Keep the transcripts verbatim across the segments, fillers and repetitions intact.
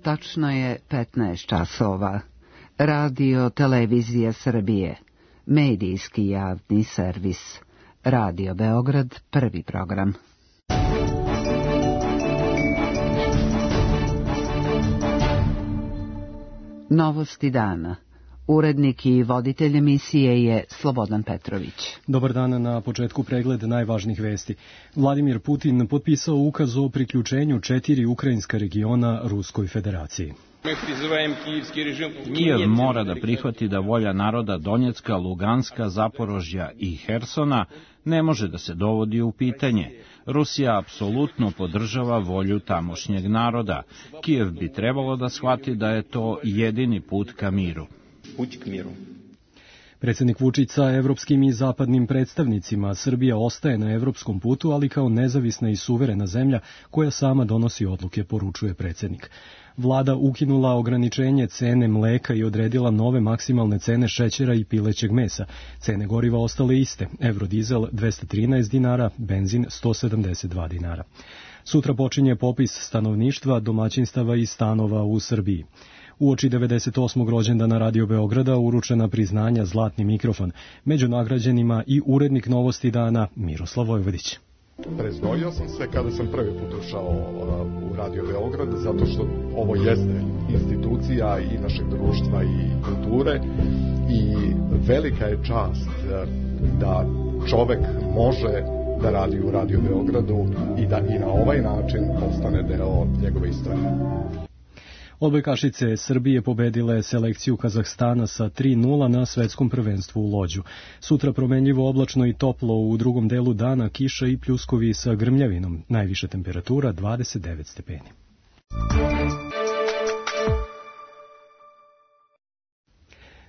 Tačno je petnaest časova. Radio Televizija Srbije. Medijski javni servis. Radio Beograd, prvi program. Novosti dana. Urednik i voditelj emisije je Slobodan Petrović. Dobar dan, na početku pregled najvažnijih vesti. Vladimir Putin potpisao ukaz o priključenju četiri ukrajinska regiona Ruskoj federaciji. Kijev mora da prihvati da volja naroda Donjecka, Luganska, Zaporožja i Hersona ne može da se dovodi u pitanje. Rusija apsolutno podržava volju tamošnjeg naroda. Kijev bi trebalo da shvati da je to jedini put ka miru. Predsjednik Vučić sa evropskim i zapadnim predstavnicima: Srbija ostaje na evropskom putu, ali kao nezavisna i suverena zemlja koja sama donosi odluke, poručuje predsjednik. Vlada ukinula ograničenje cene mleka i odredila nove maksimalne cene šećera i pilećeg mesa. Cene goriva ostale iste: Eurodizel dvesta trinaest dinara, benzin sto sedamdeset dva dinara. Sutra počinje popis stanovništva, domaćinstava i stanova u Srbiji. Uoči devedeset osmog rođendana Radio Beograda uručena priznanja Zlatni mikrofon. Među nagrađenima i urednik Novosti dana Miroslav Vojvodić. Preznojio sam se kada sam prvi put ušao u Radio Beograd, zato što ovo jeste institucija i našeg društva i kulture i velika je čast da čovek može da radi u Radio Beogradu i da i na ovaj način postane deo njegove istorije. Odbojkašice Srbije pobedile selekciju Kazahstana sa tri nula na svetskom prvenstvu u Lođu. Sutra promenljivo oblačno i toplo, u drugom delu dana kiša i pljuskovi sa grmljavinom. Najviša temperatura dvadeset devet stepeni.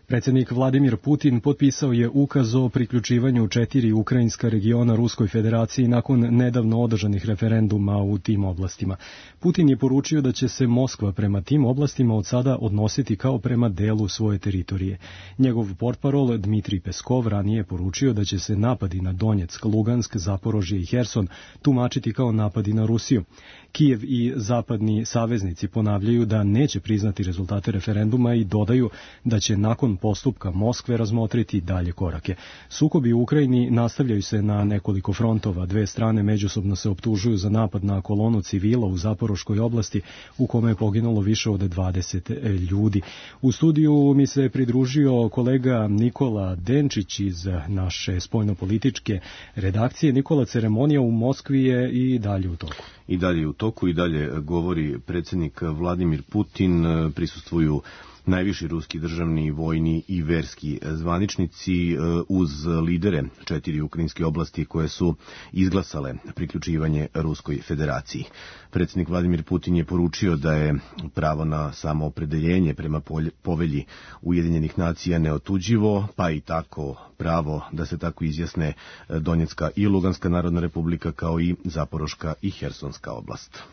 Predsjednik Vladimir Putin potpisao je ukaz o priključivanju četiri ukrajinska regiona Ruskoj federaciji nakon nedavno održanih referenduma u tim oblastima. Putin je poručio da će se Moskva prema tim oblastima od sada odnositi kao prema delu svoje teritorije. Njegov portparol Dmitrij Peskov ranije je poručio da će se napadi na Donjeck, Lugansk, Zaporožje i Herson tumačiti kao napadi na Rusiju. Kijev i zapadni saveznici ponavljaju da neće priznati rezultate referenduma i dodaju da će nakon postupka Moskve razmotriti dalje korake. Sukobi u Ukrajini nastavljaju se na nekoliko frontova. Dve strane međusobno se optužuju za napad na kolonu civila u Zaporoškoj oblasti, u kome je poginulo više od dvadeset ljudi. U studiju mi se pridružio kolega Nikola Denčić iz naše spoljnopolitičke redakcije. Nikola, ceremonija u Moskvi je i dalje u toku. I dalje u toku, i dalje govori predsjednik Vladimir Putin, prisustvuju najviši ruski državni, vojni i verski zvaničnici uz lidere četiri ukrajinske oblasti koje su izglasale priključivanje Ruskoj federaciji. Predsjednik Vladimir Putin je poručio da je pravo na samoopredeljenje prema povelji Ujedinjenih nacija neotuđivo, pa i tako pravo da se tako izjasne Donjecka i Luganska narodna republika, kao i Zaporoška i Hersonska oblast.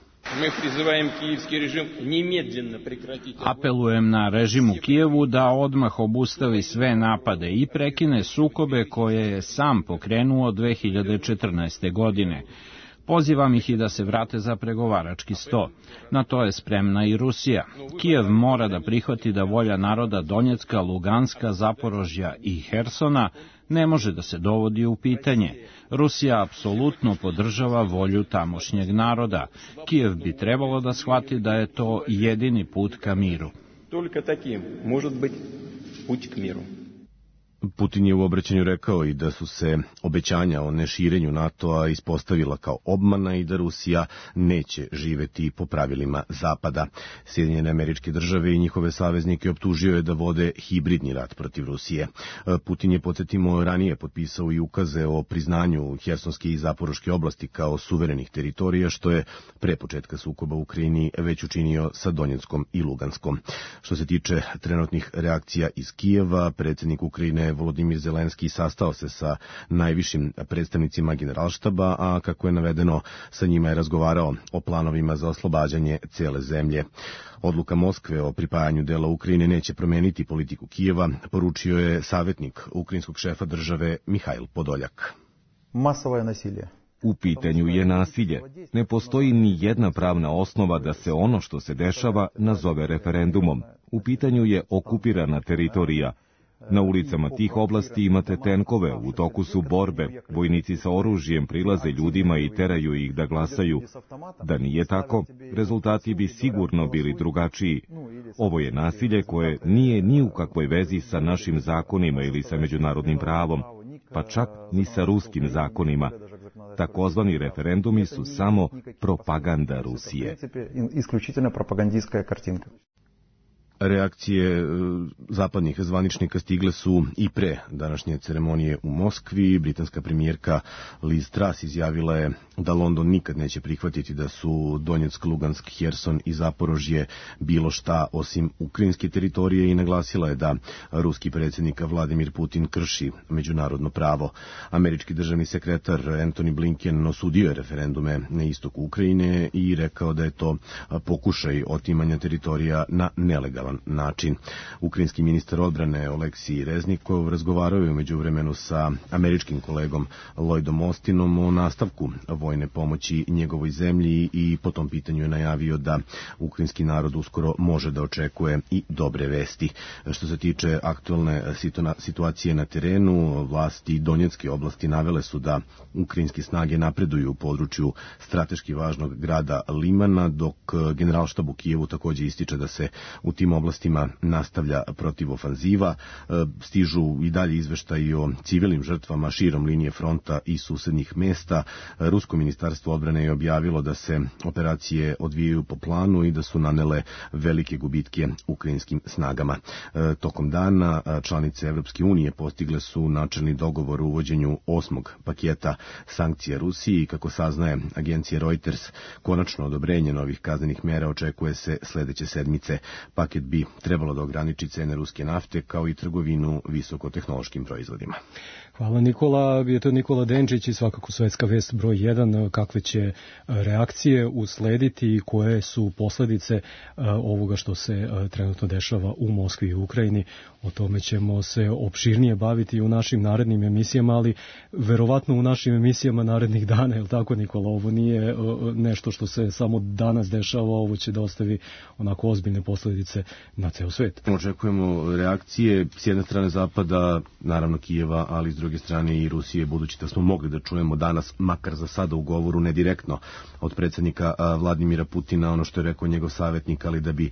Apelujem na režim u Kijevu da odmah obustavi sve napade i prekine sukobe koje je sam pokrenuo dve hiljade četrnaeste. godine. Pozivam ih i da se vrate za pregovarački sto. Na to je spremna i Rusija. Kijev mora da prihvati da volja naroda Donjecka, Luganska, Zaporožja i Hersona ne može da se dovodi u pitanje. Rusija apsolutno podržava volju tamošnjeg naroda. Kijev bi trebalo da shvati da je to jedini put ka miru. Toliko takim može biti put ka miru. Putin je u obraćanju rekao i da su se obećanja o neširenju NATO-a ispostavila kao obmana i da Rusija neće živeti po pravilima Zapada. Sjedinjene Američke Države i njihove saveznike optužio je da vode hibridni rat protiv Rusije. Putin je, podsjetimo, ranije potpisao i ukaze o priznanju Hersonske i Zaporoške oblasti kao suverenih teritorija, što je pre početka sukoba u Ukrajini već učinio sa Donjeckom i Luganskom. Što se tiče trenutnih reakcija iz Kijeva, predsjednik Ukrajine Volodimir Zelenski sastao se sa najvišim predstavnicima Generalštaba, a kako je navedeno, sa njima je razgovarao o planovima za oslobađanje cele zemlje. Odluka Moskve o pripajanju dela Ukrajine neće promeniti politiku Kijeva, poručio je savjetnik ukrajinskog šefa države Mihajl Podoljak. Masovno nasilje. U pitanju je nasilje. Ne postoji ni jedna pravna osnova da se ono što se dešava nazove referendumom. U pitanju je okupirana teritorija. Na ulicama tih oblasti imate tenkove, u toku su borbe, vojnici sa oružjem prilaze ljudima i teraju ih da glasaju. Da nije tako, rezultati bi sigurno bili drugačiji. Ovo je nasilje koje nije ni u kakvoj vezi sa našim zakonima ili sa međunarodnim pravom, pa čak ni sa ruskim zakonima. Takozvani referendumi su samo propaganda Rusije. Isključivo propagandijska kartinka. Reakcije zapadnih zvaničnika stigle su i pre današnje ceremonije u Moskvi. Britanska premijerka Liz Truss izjavila je da London nikad neće prihvatiti da su Donjeck, Lugansk, Herson i Zaporožje bilo šta osim ukrajinske teritorije i naglasila je da ruski predsjednik Vladimir Putin krši međunarodno pravo. Američki državni sekretar Antony Blinken osudio je referendume na istoku Ukrajine i rekao da je to pokušaj otimanja teritorija na nelegalan način. Ukrajinski ministar odbrane Oleksij Reznikov razgovarao je u međuvremenu sa američkim kolegom Lloydom Austinom o nastavku vojne pomoći njegovoj zemlji i po tom pitanju je najavio da ukrajinski narod uskoro može da očekuje i dobre vesti. Što se tiče aktualne situacije na terenu, vlasti Donjecké oblasti navele su da ukrajinske snage napreduju u području strateški važnog grada Limana, dok Generalštab u Kijevu takođe ističe da se u tim oblastima nastavlja protivofanziva. Stižu i dalje izveštaji o civilnim žrtvama širom linije fronta i susednih mesta. Rusko ministarstvo odbrane je objavilo da se operacije odvijaju po planu i da su nanele velike gubitke ukrajinskim snagama. Tokom dana članice Evropske unije postigle su načelni dogovor o uvođenju osmog paketa sankcija Rusiji i kako saznaje agencija Reuters, konačno odobrenje novih kaznenih mera očekuje se sledeće sedmice. Paket bi trebalo da ograniči cene ruske nafte kao i trgovinu visokotehnološkim proizvodima. Hvala Nikola, je to Nikola Denčić i svakako svetska vest broj jedan, kakve će reakcije uslediti i koje su posledice ovoga što se trenutno dešava u Moskvi i Ukrajini. O tome ćemo se opširnije baviti u našim narednim emisijama, ali verovatno u našim emisijama narednih dana, je li tako Nikola? Ovo nije nešto što se samo danas dešava, ovo će da ostavi onako ozbiljne posledice na ceo svet. Očekujemo reakcije s jedne strane Zapada, naravno Kijeva, ali s druge strane i Rusije, budući da smo mogli da čujemo danas, makar za sada u govoru, ne direktno od predsjednika Vladimira Putina, ono što je rekao njegov savjetnik, ali da bi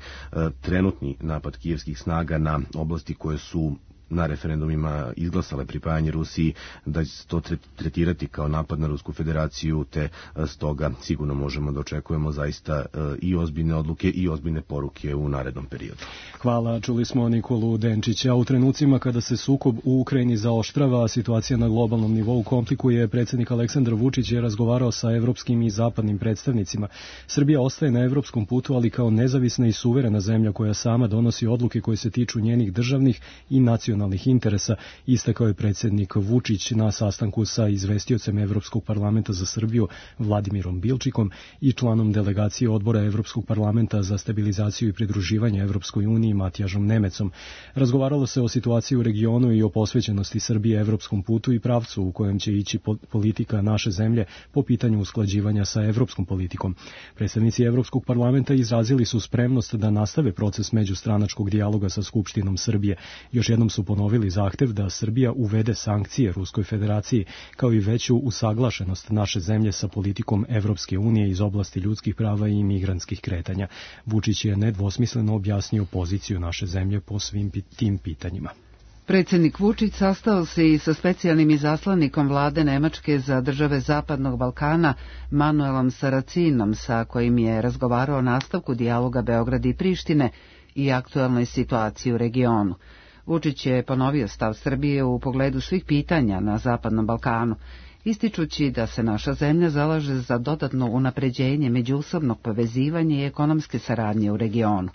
trenutni napad kijevskih snaga na oblasti koje su na referendumima izglasale pripajanje Rusiji, da će se to tretirati kao napad na Rusku federaciju, te stoga sigurno možemo da očekujemo zaista i ozbiljne odluke i ozbiljne poruke u narednom periodu. Hvala, čuli smo Nikolu Denčića. U trenucima kada se sukob u Ukrajini zaoštrava, situacija na globalnom nivou komplikuje, predsjednik Aleksandar Vučić je razgovarao sa evropskim i zapadnim predstavnicima. Srbija ostaje na evropskom putu, ali kao nezavisna i suverena zemlja koja sama donosi odluke koje se tiču njenih državnih i nacionalnih interesa, istakao je predsjednik Vučić na sastanku sa izvestiocem Evropskog parlamenta za Srbiju Vladimirom Bilčikom i članom delegacije odbora Evropskog parlamenta za stabilizaciju i pridruživanje Evropskoj uniji Matijažom Nemecom. Razgovaralo se o situaciji u regionu i o posvećenosti Srbije evropskom putu i pravcu u kojem će ići politika naše zemlje po pitanju usklađivanja sa evropskom politikom. Predstavnici Evropskog parlamenta izrazili su spremnost da nastave proces međustranačkog dijaloga sa Skupštinom Srbije. Još jednom su ponovili zahtev da Srbija uvede sankcije Ruskoj federaciji, kao i veću usaglašenost naše zemlje sa politikom Evropske unije iz oblasti ljudskih prava i migrantskih kretanja. Vučić je nedvosmisleno objasnio poziciju naše zemlje po svim tim pitanjima. Predsjednik Vučić sastao se i sa specijalnim izaslanikom vlade Nemačke za države Zapadnog Balkana Manuelom Saracinom, sa kojim je razgovarao o nastavku dijaloga Beograda i Prištine i aktuelnoj situaciji u regionu. Vučić je ponovio stav Srbije u pogledu svih pitanja na Zapadnom Balkanu, ističući da se naša zemlja zalaže za dodatno unapređenje međusobnog povezivanja i ekonomske saradnje u regionu.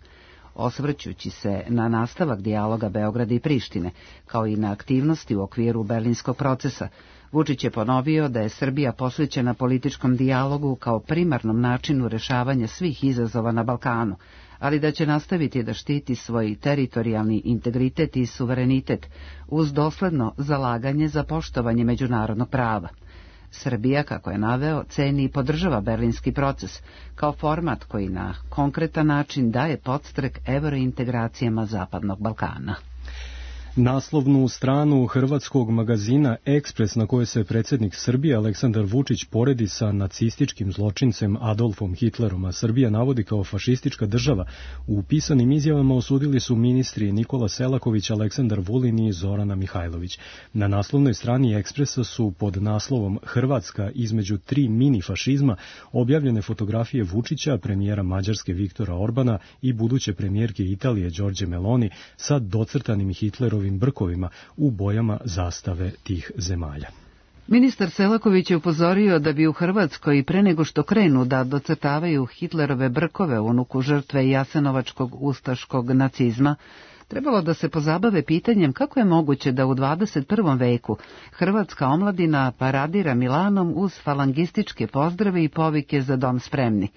Osvrćući se na nastavak dijaloga Beograda i Prištine, kao i na aktivnosti u okviru berlinskog procesa, Vučić je ponovio da je Srbija posvećena političkom dijalogu kao primarnom načinu rešavanja svih izazova na Balkanu, ali da će nastaviti da štiti svoj teritorijalni integritet i suverenitet uz dosledno zalaganje za poštovanje međunarodnog prava. Srbija, kako je naveo, ceni i podržava berlinski proces kao format koji na konkretan način daje podstrek evrointegracijama Zapadnog Balkana. Naslovnu stranu hrvatskog magazina Ekspres, na kojoj se predsjednik Srbije Aleksandar Vučić poredi sa nacističkim zločincem Adolfom Hitlerom, a Srbija navodi kao fašistička država, u pisanim izjavama osudili su ministri Nikola Selaković, Aleksandar Vulin i Zorana Mihajlović. Na naslovnoj strani Ekspresa su pod naslovom Hrvatska između tri mini fašizma objavljene fotografije Vučića, premijera Mađarske Viktora Orbana i buduće premijerke Italije Đorđe Meloni sa docrtanim Hitlerovim brkovima u bojama zastave tih zemalja. Ministar Selaković je upozorio da bi u Hrvatskoj pre nego što krenu da docrtavaju Hitlerove brkove unuku žrtve jasenovačkog ustaškog nacizma, trebalo da se pozabave pitanjem kako je moguće da u dvadeset prvom veku hrvatska omladina paradira Milanom uz falangističke pozdrave i povike za dom spremni.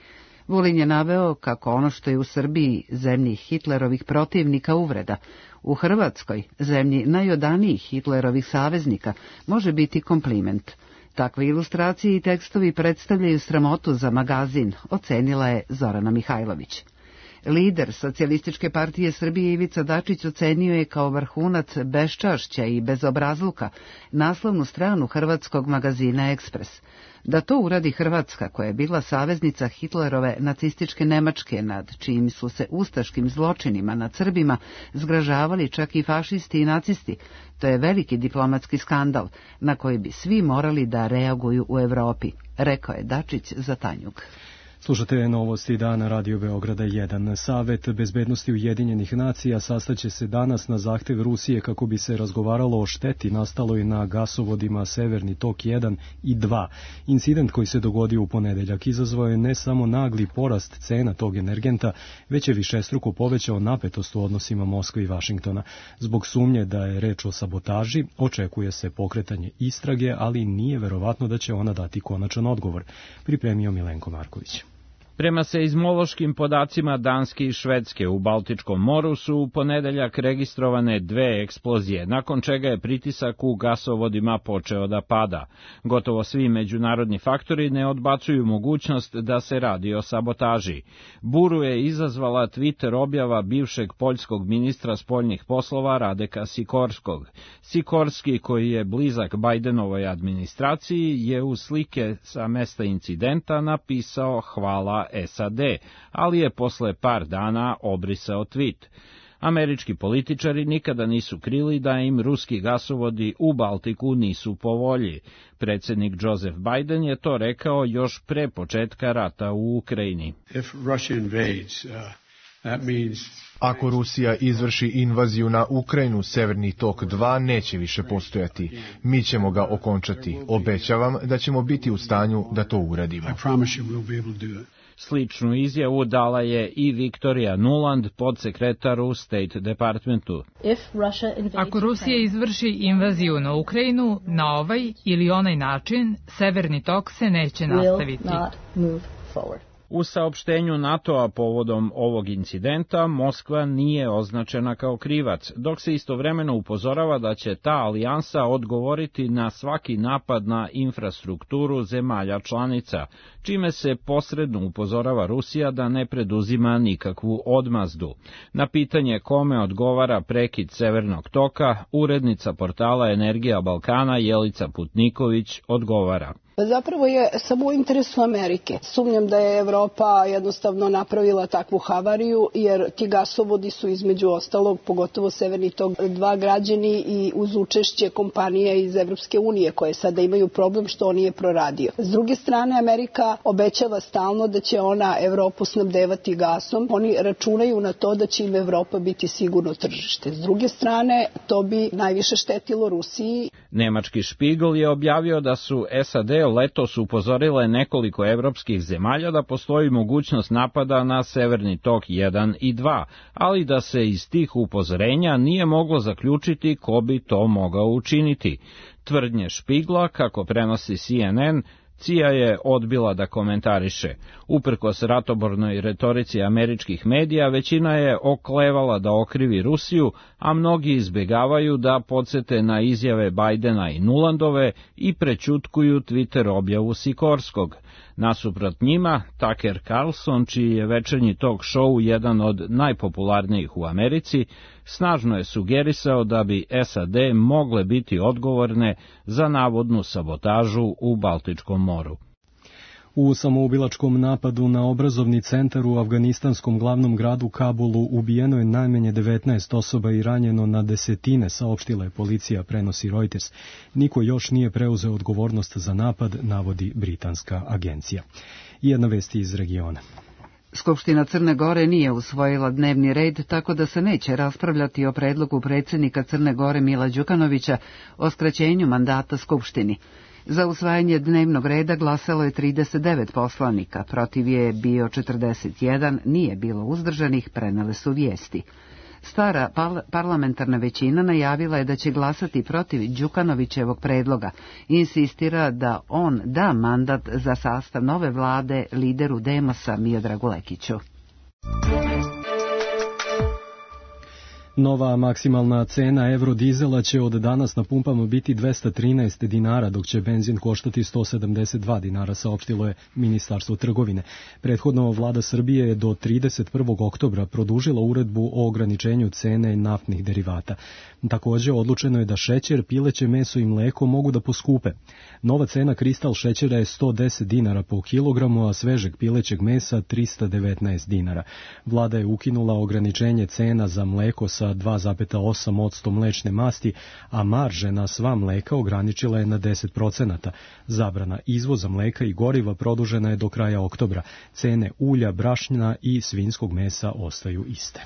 Vulin je naveo kako ono što je u Srbiji, zemlji Hitlerovih protivnika, uvreda, u Hrvatskoj, zemlji najodanijih Hitlerovih saveznika, može biti kompliment. Takve ilustracije i tekstovi predstavljaju sramotu za magazin, ocenila je Zorana Mihajlović. Lider Socijalističke partije Srbije Ivica Dačić ocenio je kao vrhunac beščašća i bezobrazluka naslovnu stranu hrvatskog magazina Ekspres. Da to uradi Hrvatska, koja je bila saveznica Hitlerove nacističke Nemačke, nad čijim su se ustaškim zločinima nad Srbima zgražavali čak i fašisti i nacisti, to je veliki diplomatski skandal na koji bi svi morali da reaguju u Evropi, rekao je Dačić za Tanjug. Slušate novosti dana Radio Beograda jedan. Savet bezbednosti Ujedinjenih nacija sastaće se danas na zahtev Rusije kako bi se razgovaralo o šteti nastaloj na gasovodima Severni tok jedan i dva. Incident koji se dogodio u ponedeljak izazvao je ne samo nagli porast cena tog energenta, već je višestruko povećao napetost u odnosima Moskve i Vašingtona. Zbog sumnje da je reč o sabotaži, očekuje se pokretanje istrage, ali nije verovatno da će ona dati konačan odgovor, pripremio Milenko Marković. Prema seizmološkim podacima Danske i Švedske u Baltičkom moru su u ponedeljak registrovane dve eksplozije, nakon čega je pritisak u gasovodima počeo da pada. Gotovo svi međunarodni faktori ne odbacuju mogućnost da se radi o sabotaži. Buru je izazvala Twitter objava bivšeg poljskog ministra spoljnih poslova Radeka Sikorskog. Sikorski, koji je blizak Bajdenovoj administraciji, je u slike sa mesta incidenta napisao hvala S A D, ali je posle par dana obrisao tvit. Američki političari nikada nisu krili da im ruski gasovodi u Baltiku nisu po volji. Predsjednik Joseph Biden je to rekao još pre početka rata u Ukrajini. Ako Rusija izvrši invaziju na Ukrajinu, Severni tok dva neće više postojati. Mi ćemo ga okončati. Obećavam da ćemo biti u stanju da to uradimo. Sličnu izjavu dala je i Victoria Nuland, podsekretar u State Departmentu. Ako Rusija izvrši invaziju na Ukrajinu, na ovaj ili onaj način, Severni tok se neće nastaviti. U saopštenju NATO-a povodom ovog incidenta, Moskva nije označena kao krivac, dok se istovremeno upozorava da će ta alijansa odgovoriti na svaki napad na infrastrukturu zemalja članica, čime se posredno upozorava Rusija da ne preduzima nikakvu odmazdu. Na pitanje kome odgovara prekid Severnog toka, urednica portala Energija Balkana Jelica Putniković odgovara. Zapravo je samo u interesu Amerike. Sumnjam da je Evropa jednostavno napravila takvu havariju, jer ti gasovodi su između ostalog, pogotovo Severni tok dva, građeni i uz učešće kompanija iz Evropske unije, koje sada imaju problem što on nije proradio. S druge strane, Amerika obećava stalno da će ona Evropu snabdevati gasom. Oni računaju na to da će im Evropa biti sigurno tržište. S druge strane, to bi najviše štetilo Rusiji. Nemački Špigl je objavio da su S A D letos upozorile nekoliko evropskih zemalja da postoji mogućnost napada na Severni tok jedan i dva, ali da se iz tih upozorenja nije moglo zaključiti ko bi to mogao učiniti. Tvrdnje Špigla, kako prenosi C N N, C I A je odbila da komentariše. Uprkos ratobornoj retorici američkih medija, većina je oklevala da okrivi Rusiju, a mnogi izbegavaju da podsete na izjave Bajdena i Nulandove i prećutkuju Twitter objavu Sikorskog. Nasuprot njima, Tucker Carlson, čiji je večernji talk show jedan od najpopularnijih u Americi, snažno je sugerisao da bi S A D mogle biti odgovorne za navodnu sabotažu u Baltičkom moru. U samoubilačkom napadu na obrazovni centar u afganistanskom glavnom gradu Kabulu ubijeno je najmanje devetnaest osoba i ranjeno na desetine, saopštila je policija, prenosi Reuters. Niko još nije preuzeo odgovornost za napad, navodi britanska agencija. I jedna vest iz regiona. Skupština Crne Gore nije usvojila dnevni red, tako da se neće raspravljati o predlogu predsjednika Crne Gore Mila Đukanovića o skraćenju mandata Skupštini. Za usvajanje dnevnog reda glasalo je trideset devet poslanika, protiv je bio četrdeset jedan, nije bilo uzdržanih, prenele su vijesti. Stara parlamentarna većina najavila je da će glasati protiv Đukanovićevog predloga i insistira da on da mandat za sastav nove vlade lideru Demosa Miodragu Lekiću. Nova maksimalna cena evrodizela će od danas na pumpama biti dvesta trinaest dinara, dok će benzin koštati sto sedamdeset dva dinara, saopštilo je Ministarstvo trgovine. Prethodno vlada Srbije je do trideset prvog oktobra produžila uredbu o ograničenju cene naftnih derivata. Također odlučeno je da šećer, pileće meso i mleko mogu da poskupe. Nova cena kristal šećera je sto deset dinara po kilogramu, a svežeg pilećeg mesa trista devetnaest dinara. Vlada je ukinula ograničenje cena za mleko sa dva zarez osam posto mlečne masti, a marže na sva mleka ograničila je na deset procenata. Zabrana izvoza mleka i goriva produžena je do kraja oktobra. Cene ulja, brašna i svinjskog mesa ostaju iste.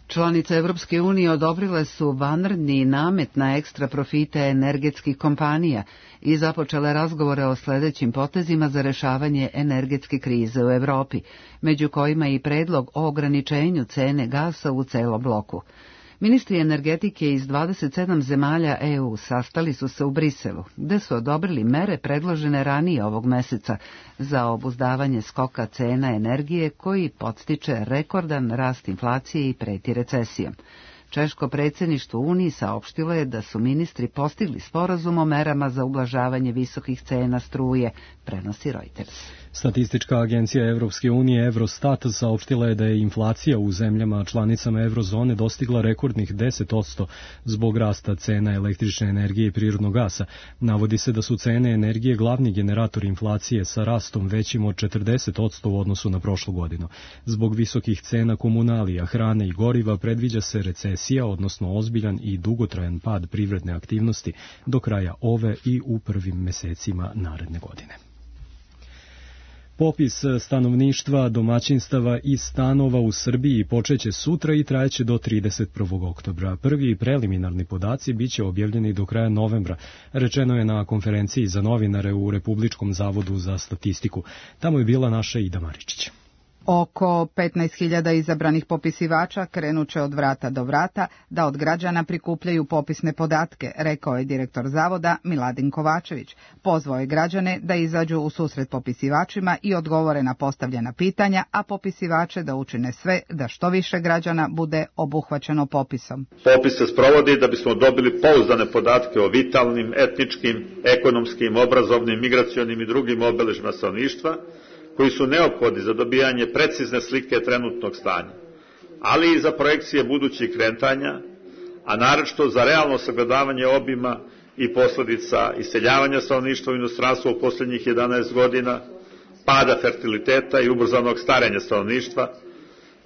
Članice Evropske unije odobrile su vanredni namet na ekstra profite energetskih kompanija i započele razgovore o sljedećim potezima za rešavanje energetske krize u Evropi, među kojima i predlog o ograničenju cene gasa u celom bloku. Ministri energetike iz dvadeset sedam zemalja E U sastali su se u Briselu, gde su odobrili mere predložene ranije ovog meseca za obuzdavanje skoka cena energije koji podstiče rekordan rast inflacije i preti recesijom. Češko predsjedništvo Uniji saopštilo je da su ministri postigli sporazum o merama za ublažavanje visokih cena struje, prenosi Reuters. Statistička agencija Evropske unije Eurostat saopštila je da je inflacija u zemljama članicama eurozone dostigla rekordnih deset posto zbog rasta cena električne energije i prirodnog gasa. Navodi se da su cene energije glavni generator inflacije sa rastom većim od četrdeset posto u odnosu na prošlu godinu. Zbog visokih cena komunalija, hrane i goriva predviđa se recesija, odnosno ozbiljan i dugotrajan pad privredne aktivnosti do kraja ove i u prvim mesecima naredne godine. Popis stanovništva, domaćinstava i stanova u Srbiji počeće sutra i trajeće do trideset prvog oktobra. Prvi preliminarni podaci biće objavljeni do kraja novembra, rečeno je na konferenciji za novinare u Republičkom zavodu za statistiku. Tamo je bila naša Ida Maričić. Oko petnaest hiljada izabranih popisivača krenuće od vrata do vrata da od građana prikupljaju popisne podatke, rekao je direktor zavoda Miladin Kovačević. Pozvao je građane da izađu u susret popisivačima i odgovore na postavljena pitanja, a popisivače da učine sve da što više građana bude obuhvaćeno popisom. Popis se sprovodi da bismo dobili pouzdane podatke o vitalnim, etničkim, ekonomskim, obrazovnim, migracionim i drugim obeležjima stanovništva, koji su neophodni za dobijanje precizne slike trenutnog stanja, ali i za projekcije budućih kretanja, a naročito za realno sagledavanje obima i posledica iseljavanja stanovništva u inostranstvo u posljednjih jedanaest godina, pada fertiliteta i ubrzanog starenja stanovništva,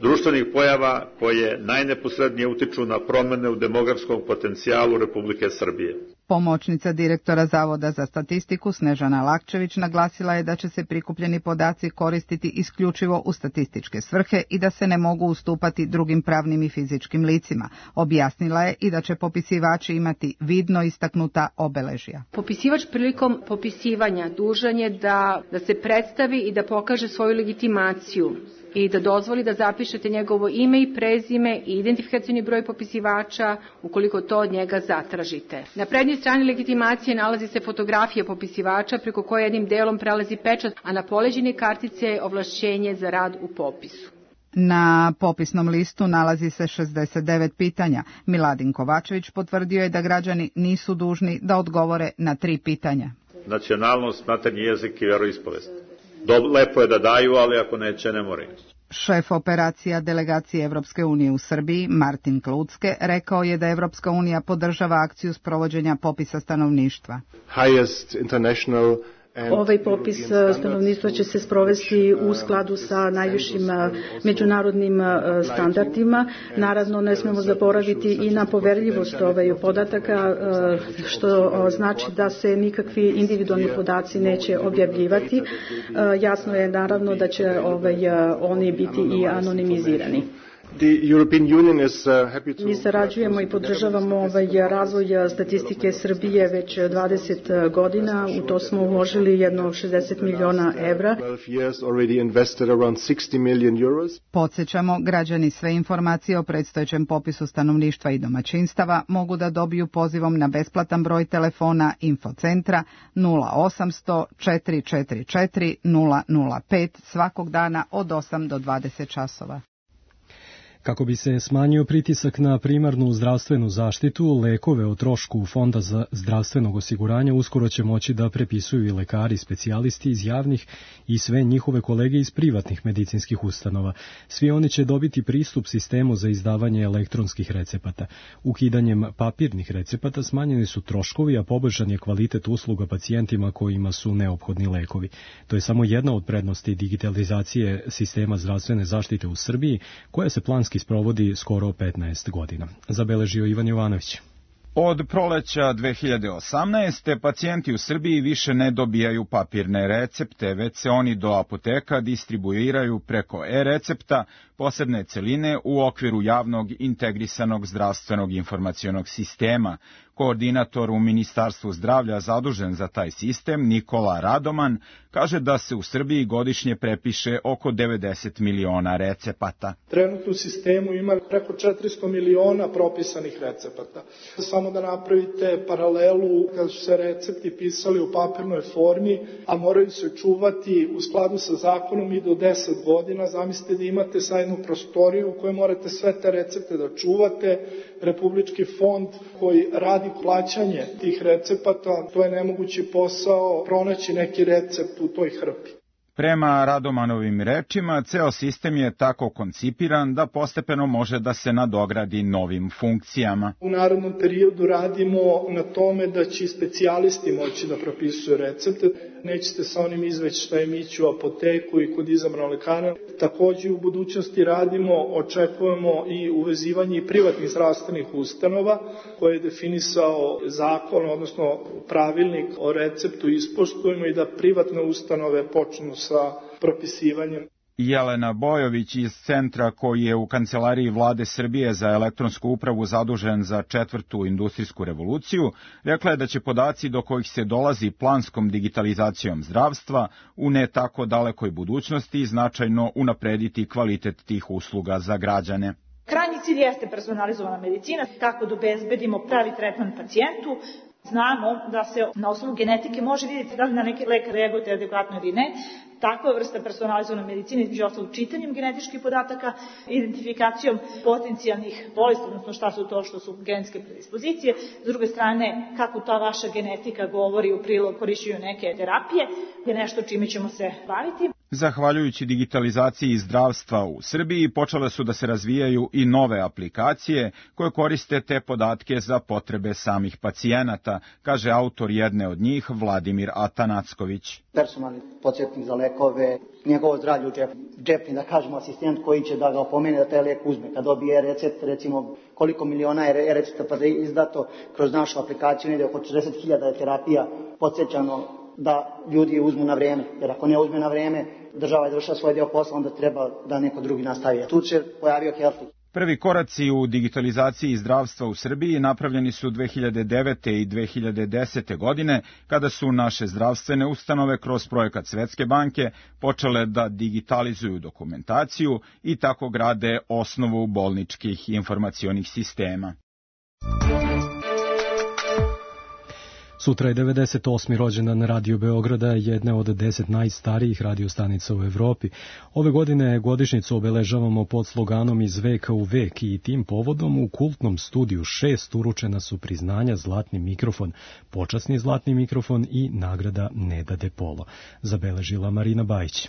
društvenih pojava koje najneposrednije utiču na promene u demografskom potencijalu Republike Srbije. Pomoćnica direktora Zavoda za statistiku Snežana Lakčević naglasila je da će se prikupljeni podaci koristiti isključivo u statističke svrhe i da se ne mogu ustupati drugim pravnim i fizičkim licima. Objasnila je i da će popisivači imati vidno istaknuta obeležja. Popisivač prilikom popisivanja dužan je da, da se predstavi i da pokaže svoju legitimaciju i da dozvoli da zapišete njegovo ime i prezime i identifikacioni broj popisivača ukoliko to od njega zatražite. Na prednjoj strani legitimacije nalazi se fotografija popisivača preko koje jednim delom prelazi pečat, a na poleđini kartice je ovlašćenje za rad u popisu. Na popisnom listu nalazi se šezdeset devet pitanja. Miladin Kovačević potvrdio je da građani nisu dužni da odgovore na tri pitanja. Nacionalnost, maternji jezik i veroispovest. Lepo je da daju, ali ako neće, ne moraju. Šef operacija delegacije Evropske unije u Srbiji, Martin Klucke, rekao je da Evropska unija podržava akciju sprovođenja popisa stanovništva. Highest international Ovaj popis stanovništva će se sprovesti u skladu sa najvišim međunarodnim standardima. Naravno, ne smemo zaboraviti i na poverljivost ovaj podataka, što znači da se nikakvi individualni podaci neće objavljivati. Jasno je naravno da će ovaj, oni biti i anonimizirani. Mi sarađujemo i podržavamo ovaj razvoj statistike Srbije već dvadeset godina, u to smo uložili jedno šezdeset miliona evra. Podsjećamo, građani sve informacije o predstojećem popisu stanovništva i domaćinstava mogu da dobiju pozivom na besplatan broj telefona Infocentra nula osamsto četiri četiri četiri nula nula pet svakog dana od osam do dvadeset časova. Kako bi se smanjio pritisak na primarnu zdravstvenu zaštitu, lekove o trošku Fonda za zdravstvenog osiguranja uskoro će moći da prepisuju i lekari, specijalisti iz javnih i sve njihove kolege iz privatnih medicinskih ustanova. Svi oni će dobiti pristup sistemu za izdavanje elektronskih recepata. Ukidanjem papirnih recepata smanjeni su troškovi, a poboljšan je kvalitet usluga pacijentima kojima su neophodni lekovi. To je samo jedna od prednosti digitalizacije sistema zdravstvene zaštite u Srbiji, koja se planski sprovodi skoro petnaest godina. Zabeležio Ivan Jovanović. Od proleća dve hiljade osamnaeste. pacijenti u Srbiji više ne dobijaju papirne recepte, već se oni do apoteka distribuiraju preko e-recepta, posebne celine u okviru javnog integrisanog zdravstvenog informacionog sistema. Koordinator u Ministarstvu zdravlja zadužen za taj sistem, Nikola Radoman, kaže da se u Srbiji godišnje prepiše oko devedeset miliona recepata. Trenutno u sistemu ima preko četiristo miliona propisanih recepata. Samo da napravite paralelu, kad su se recepti pisali u papirnoj formi, a moraju se čuvati u skladu sa zakonom i do deset godina, zamislite da imate sajnu prostoriju u kojoj morate sve te recepte da čuvate. Republički fond koji radi plaćanje tih recepata, to je nemogući posao pronaći neki recept u toj hrpi. Prema Radomanovim rečima, ceo sistem je tako koncipiran da postepeno može da se nadogradi novim funkcijama. U narednom periodu radimo na tome da će specijalisti moći da propisuju recepte. Nećete sa onim izveštajem ići u apoteku i kod izabranog lekara. Takođe u budućnosti radimo, očekujemo i uvezivanje privatnih zdravstvenih ustanova koje je definisao zakon, odnosno pravilnik o receptu ispoštujemo i da privatne ustanove počnu sa propisivanjem. Jelena Bojović iz centra koji je u Kancelariji Vlade Srbije za elektronsku upravu zadužen za četvrtu industrijsku revoluciju, rekla je da će podaci do kojih se dolazi planskom digitalizacijom zdravstva u ne tako dalekoj budućnosti značajno unaprediti kvalitet tih usluga za građane. Krajnji cilj jeste personalizovana medicina, kako da obezbedimo pravi tretman pacijentu. Znamo da se na osnovu genetike može vidjeti da li na neki lek reaguje adekvatno ili ne. Takva vrsta personalizovane medicine, između ostalog čitanjem genetičkih podataka, identifikacijom potencijalnih bolesti, odnosno šta su to što su genetske predispozicije. S druge strane, kako ta vaša genetika govori u prilog korišćenju neke terapije, je nešto čime ćemo se baviti. Zahvaljujući digitalizaciji zdravstva u Srbiji, počele su da se razvijaju i nove aplikacije koje koriste te podatke za potrebe samih pacijenata, kaže autor jedne od njih, Vladimir Atanacković. Personalni podsjetnik za lekove, njegovo zdravlje u džepu, džepni, da kažemo, asistent koji će da ga opomene da taj lek uzme. Kad dobije recept, recimo koliko miliona je recepta pa da je izdato kroz našu aplikaciju, negde oko četrdeset hiljada terapija podsjećano da ljudi uzmu na vreme, jer ako ne uzme na vreme, država je završila svoj deo posla, onda treba da neko drugi nastavi. Tu se pojavio Healthy. Prvi koraci u digitalizaciji zdravstva u Srbiji napravljeni su dve hiljade devete. i dve hiljade desete. godine, kada su naše zdravstvene ustanove kroz projekat Svetske banke počele da digitalizuju dokumentaciju i tako grade osnovu bolničkih informacionih sistema. Sutra je devedeset osmi rođendan Radio Beograda, jedne od deset najstarijih radiostanica u Evropi. Ove godine godišnjicu obeležavamo pod sloganom Iz veka u vek i tim povodom u kultnom studiju šest uručena su priznanja Zlatni mikrofon, počasni Zlatni mikrofon i nagrada Neda de Polo. Zabeležila Marina Bajić.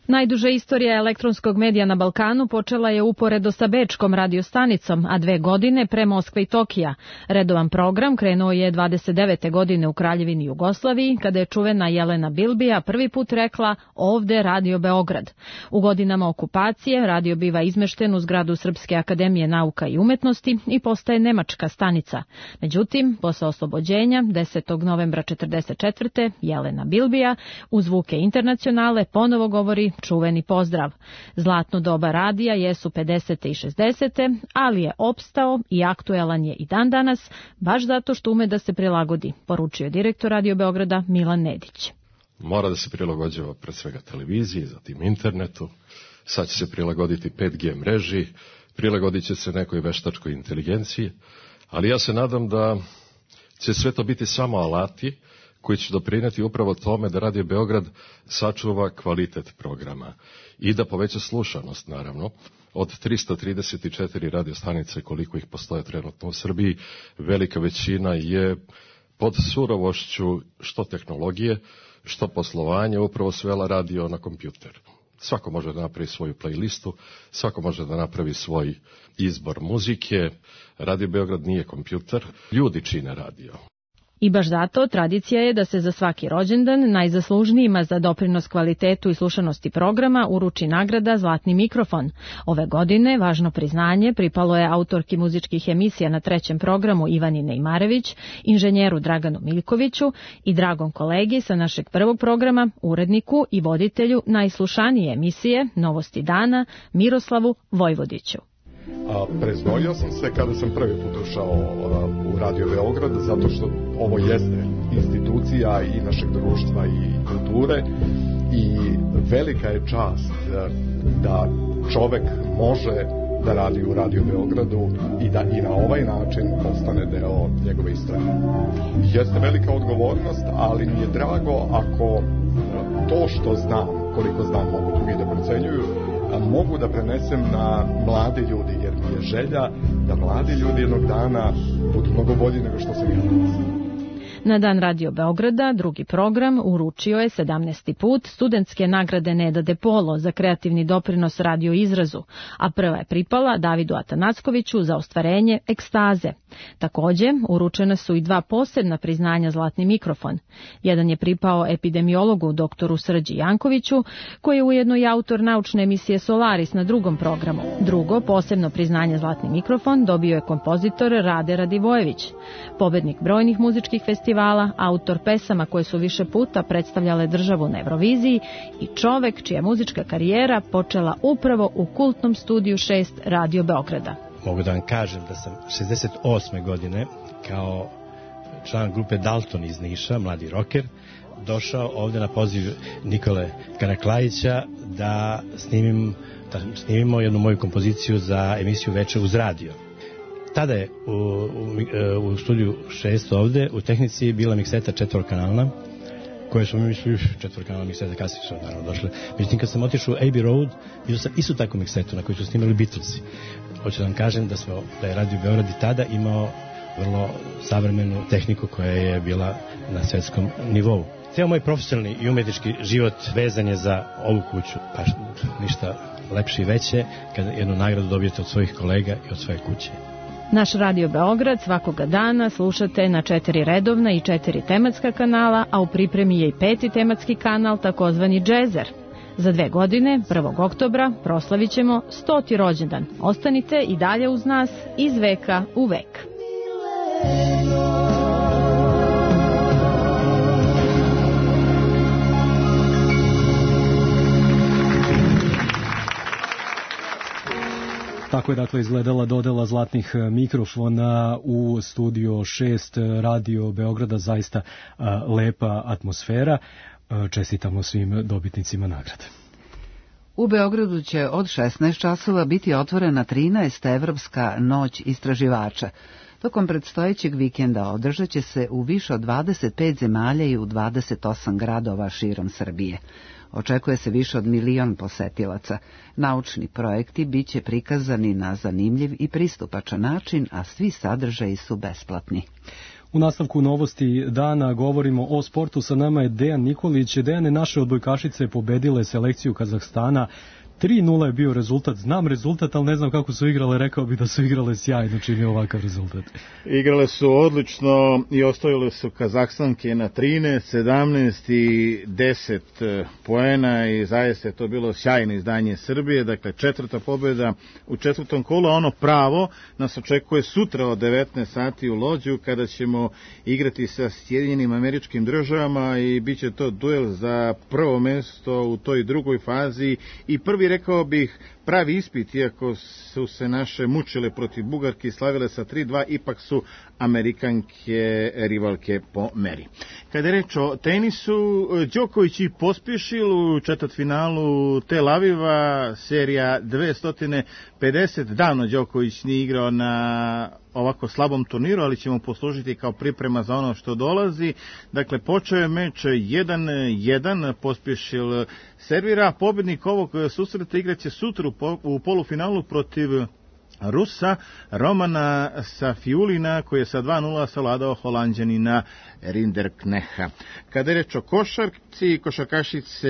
Najduža istorija elektronskog medija na Balkanu počela je uporedo sa bečkom radiostanicom, a dve godine pre Moskve i Tokija. Redovan program krenuo je dvadeset devete godine u Kraljevini Jugoslaviji, kada je čuvena Jelena Bilbija prvi put rekla ovde Radio Beograd. U godinama okupacije radio biva izmešten u zgradu Srpske akademije nauka i umetnosti i postaje nemačka stanica. Međutim, posle oslobođenja, desetog novembra četrdeset četvrte Jelena Bilbija u zvuke internacionale ponovo govori čuveni pozdrav. Zlatno doba radija jesu pedesete i šezdesete, ali je opstao i aktuelan je i dan danas, baš zato što ume da se prilagodi, poručio direktor Radio Beograda Milan Nedić. Mora da se prilagođava pred svega televiziji, zatim internetu, sad će se prilagoditi pet G mreži, prilagodit će se nekoj veštačkoj inteligenciji, ali ja se nadam da će sve to biti samo alati koji će doprineti upravo tome da Radio Beograd sačuva kvalitet programa i da poveća slušanost, naravno. Od tristo trideset četiri radiostanice koliko ih postoje trenutno u Srbiji, velika većina je pod surovošću što tehnologije, što poslovanje, upravo svela radio na kompjuter. Svako može da napravi svoju playlistu, svako može da napravi svoj izbor muzike. Radio Beograd nije kompjuter, ljudi čine radio. I baš zato tradicija je da se za svaki rođendan najzaslužnijima za doprinos kvalitetu i slušanosti programa uruči nagrada Zlatni mikrofon. Ove godine važno priznanje pripalo je autorki muzičkih emisija na trećem programu Ivani Nejmarević, inženjeru Draganu Miljkoviću i dragom kolegi sa našeg prvog programa, uredniku i voditelju najslušanije emisije Novosti dana Miroslavu Vojvodiću. A, preznojio sam se kada sam prvi put ušao a, u Radio Beograd, zato što ovo jeste institucija i našeg društva i kulture i velika je čast a, da čovek može da radi u Radio Beogradu i da i na ovaj način postane deo njegove istorije. Jeste velika odgovornost, ali mi je drago ako to što znam, koliko znam mogu drugi da procenjuju, mogu da prenesem na mlade ljudi, jer mi je želja da mladi ljudi jednog dana budu mnogo bolji nego što sam ja danas. Na Dan Radio Beograda drugi program uručio je sedamnaesti put studentske nagrade Neda de Polo za kreativni doprinos radio izrazu, a prva je pripala Davidu Atanackoviću za ostvarenje Ekstaze. Takođe, uručena su i dva posebna priznanja Zlatni mikrofon. Jedan je pripao epidemiologu doktoru Srđi Jankoviću, koji je ujedno i autor naučne emisije Solaris na drugom programu. Drugo, posebno priznanje Zlatni mikrofon dobio je kompozitor Rade Radivojević, pobednik brojnih muzičkih festivala, autor pesama koje su više puta predstavljale državu na Euroviziji i čovek čija muzička karijera počela upravo u kultnom studiju šest Radio Beograda. Mogu da vam kažem da sam šezdeset osme godine kao član grupe Dalton iz Niša, mladi roker, došao ovde na poziv Nikole Karaklajića da snimim, da snimimo jednu moju kompoziciju za emisiju Veče uz radio. Tada je u, u, u studiju šest ovde u tehnici bila mikseta četvorkanalna, koje smo mi mislili četvorkanalna mikseta, kasnije su naravno došle. Međutim, kad sam otišao u Abbey Road, vidio sam istu takvu miksetu na kojoj su snimali Beatlesi. Hoću da vam kažem da, smo, da je Radio Beograd i tada imao vrlo savremenu tehniku koja je bila na svetskom nivou. Ceo moj profesionalni i umetnički život vezan je za ovu kuću, pa ništa lepše i veće kada jednu nagradu dobijete od svojih kolega i od svoje kuće. Naš Radio Beograd svakoga dana slušate na četiri redovna i četiri tematska kanala, a u pripremi je i peti tematski kanal, takozvani Džezer. Za dve godine, prvog oktobra, proslavit ćemo stoti rođendan. Ostanite i dalje uz nas iz veka u vek. Tako je dakle izgledala dodela zlatnih mikrofona u studio šest Radio Beograda, zaista a, lepa atmosfera. A, čestitamo svim dobitnicima nagrade. U Beogradu će od šesnaest časova biti otvorena trinaesta Evropska noć istraživača. Tokom predstojećeg vikenda održat će se u više od dvadeset pet zemalja i u dvadeset osam gradova širom Srbije. Očekuje se više od milion posetilaca. Naučni projekti bit će prikazani na zanimljiv i pristupačan način, a svi sadržaji su besplatni. U nastavku novosti dana govorimo o sportu. Sa nama je Dejan Nikolić. Dejane, naše odbojkašice pobedile selekciju Kazahstana. tri nula je bio rezultat. Znam rezultat, ali ne znam kako su igrale. Rekao bih da su igrale sjajno čim je ovakav rezultat. Igrale su odlično i ostavile su Kazahstanke na trinaest, sedamnaest i deset poena i zaista je to bilo sjajno izdanje Srbije. Dakle, četvrta pobjeda u četvrtom kolu, a ono pravo nas očekuje sutra od devetnaest sati u Lođu kada ćemo igrati sa Sjedinjenim Američkim Državama i bit će to duel za prvo mesto u toj drugoj fazi i prvi, rekao bih, pravi ispit, iako su se naše mučile protiv Bugarke i slavile sa tri dva, ipak su Amerikanke rivalke po meri. Kada je reč o tenisu, Đoković i Pospišil u četvrtfinalu Tel Aviva, serija dvesta pedeset. Davno Đoković nije igrao na ovako slabom turniru, ali ćemo poslužiti kao priprema za ono što dolazi. Dakle, počeo je meč jedan jedan, Pospišil servira, pobednik ovog susreta igraće sutra u polufinalu protiv Rusa Romana Safiulina, koji je sa dva nula savladao Holanđanina Rinderkneha. Kada je reč o košarci, košarkašice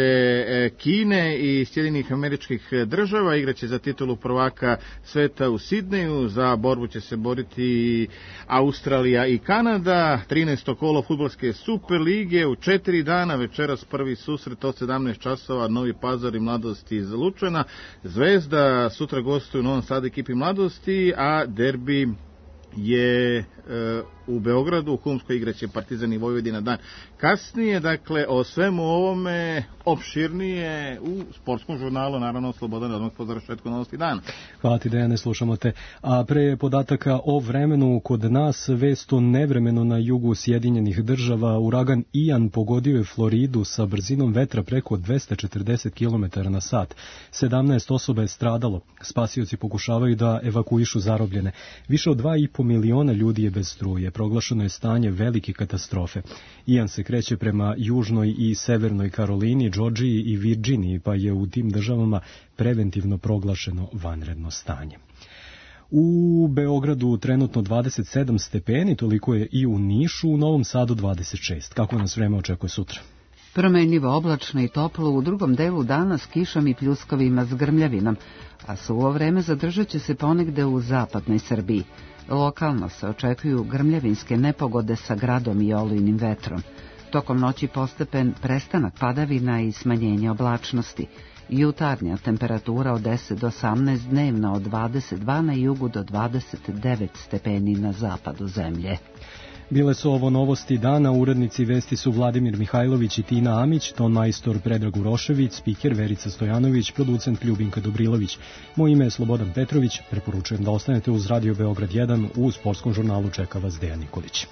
Kine i Sjedinjenih Američkih Država igraće za titulu prvaka sveta u Sidneju. Za borbu će se boriti Australija i Kanada. trinaesto kolo fudbalske Superlige u četiri dana. Večeras prvi susret od sedamnaest časova, Novi Pazar i Mladosti iz Lučana. Zvezda sutra gostuje u Novom Sadu ekipi Mladosti, a derbi je e, u Beogradu, u Humskoj igraće Partizan i Vojvodina dan kasnije. Dakle, o svemu ovome opširnije u sportskom žurnalu, naravno Slobodan odmah po završetku novosti dana. Hvala ti, Dejane, slušamo te. A pre podataka o vremenu kod nas, vest o nevremenu na jugu Sjedinjenih Država. Uragan Ian pogodio je Floridu sa brzinom vetra preko dvesta četrdeset kilometara na sat. sedamnaest osoba je stradalo. Spasioci pokušavaju da evakuišu zarobljene. Više od dva i po miliona ljudi je bez struje. Proglašeno je stanje velike katastrofe. Ian se kreće prema južnoj i severnoj Karolini, Džordžiji i Virđiniji, pa je u tim državama preventivno proglašeno vanredno stanje. U Beogradu trenutno dvadeset sedam stepeni, toliko je i u Nišu, u Novom Sadu dvadeset šest. Kako nas vreme očekuje sutra? Promenljivo, oblačno i toplo, u drugom delu dana s kišom i pljuskovima s grmljavinom, a suvo vreme zadržat će se ponegde u zapadnoj Srbiji. Lokalno se očekuju grmljavinske nepogode sa gradom i olujnim vetrom. Tokom noći postepen prestanak padavina i smanjenje oblačnosti. Jutarnja temperatura od deset do osamnaest, dnevna od dvadeset dva na jugu do dvadeset devet stepeni na zapadu zemlje. Bile su ovo novosti dana, urednici vesti su Vladimir Mihajlović i Tina Amić, ton majstor Predrag Urošević, spiker Verica Stojanović, producent Ljubinka Dobrilović. Moje ime je Slobodan Petrović, preporučujem da ostanete uz Radio Beograd jedan, u sportskom žurnalu čeka vas Dejan Nikolić.